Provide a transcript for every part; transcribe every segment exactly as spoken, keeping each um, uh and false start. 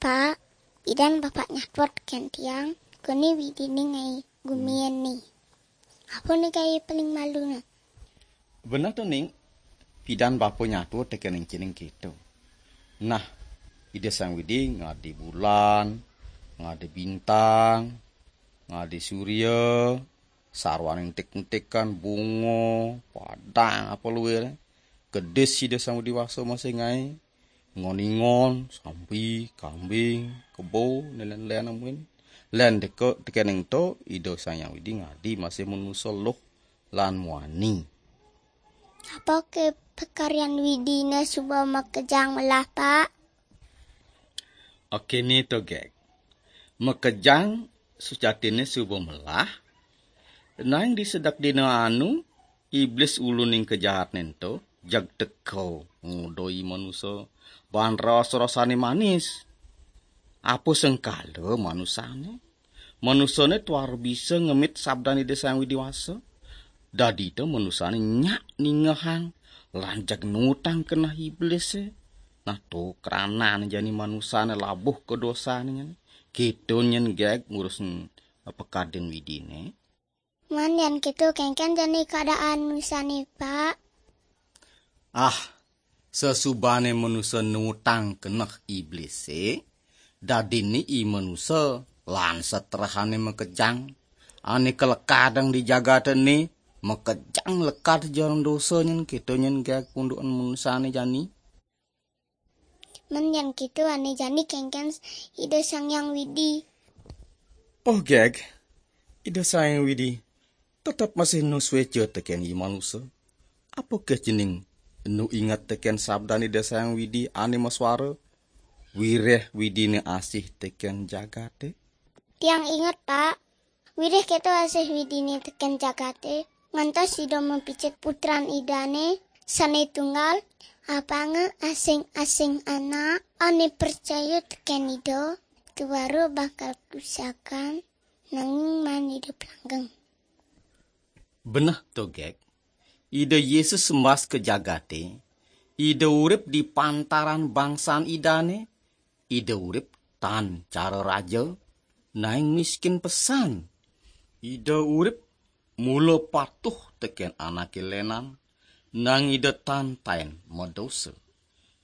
Pak, pidan Bapak nyatua tekén tiang, koni Widine ngaé guminé. Apa né gaé paling malune? Beneh to, Ning, pidan Bapa nyatua tekén encéning kéto. Nah, Ida Sang Widi ngadi bulan, ngadi bintang, ngadi surya, sarwané entik-entikan, bunga, padang, apa luir. Kedis Ida Sang Widi Wasa masih ngaé, ngon-ingon, sampi, kambing, kebo, né lén-lén amuin. Lén deka tekéning to, Ida Sang Hyang Widi ngadi masih manusa luh lan muani. Apa ké pakaryan Widiné suba makejang melah, Pak? Oké né to, Gek. Makejang sujatiné suba melah, nanging di sedek dina anu, iblis uluning kejahatné ento, jeg teka nguda i manusa, baan raos-raosané manis. Apa sengkala manusané? Manusané tuara bisa ngemit sabdan Ida Sang Widi Wasa. Dadi to manusané nyak ningehang, lan jeg nuutang keneh iblisé. Nah, to kranané jani manusané labuh ka dosané nyen. Kéto nyen, Gek, ngurus pekadin Widiné. Man yén kéto, kénkén jani keadaan manusané, Pak? Ah, sasubané manusa nuutang keneh iblisé, dadiné i manusa lan setrahané makejang. Ané kalekadang di jagaté né, makejang lekad jero dosa nyen, kéto nyen, Gek, pundukan manusané jani. Men yén kéto, ané jani kénkén Ida Sang Hyang Widi. Oh, Gek, Ida Sang Hyang Widi tetep masih nu suéca tekén i manusa. Apa ké cening nu inget tekén sabdan Ida Sang Hyang Widi ané masuara, wiréh Widiné asih tekén jagaté? Tiang inget, Pak. Wiréh kéto asih Widiné tekén jagaté, ngantos Ida mapicik Putran Idané sané tunggal, apanga asing-asing anak ané pracaya tekén Ida, tuara bakal kusakan, nanging maan idup langgeng. Beneh to, Gek. Ida Yesus sembas ka jagaté, Ida urip di pantaran bangsan Idané, Ida urip tan cara raja, nanging miskin pesan. Ida urip mula patuh tekén anaké lénan, nanging Ida tan taén madosa.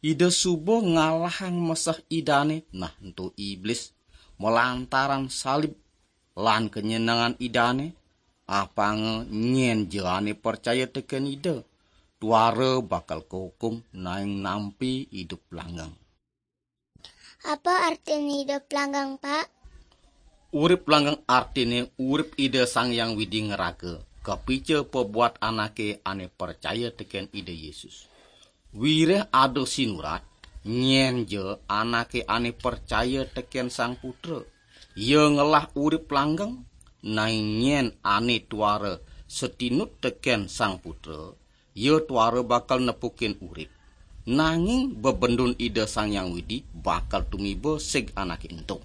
Ida suba ngalahang meseh Idané, nah ento iblis, malantaran salib lan kanyenengan Idané, apanga nyén ja ané pracaya tekén Ida, tuara bakal kahukum nanging nampi idup langgeng. Apa artin idup langgeng, Pak? Urip langgeng artiné urip Ida Sang Hyang Widi ngraga, kapica pabuat anaké ané pracaya tekén Ida Yesus. Wiréh ada sinurat, nyén ja anaké ané pracaya tekén Sang Putra, ia ngelah urip langgeng, nanging nyén ané tuara satinut tekén Sang Putra, ia tuara bakal nepukin urip. Nanging bebendun Ida Sang Hyang Widi bakal tumiba sig anaké ento.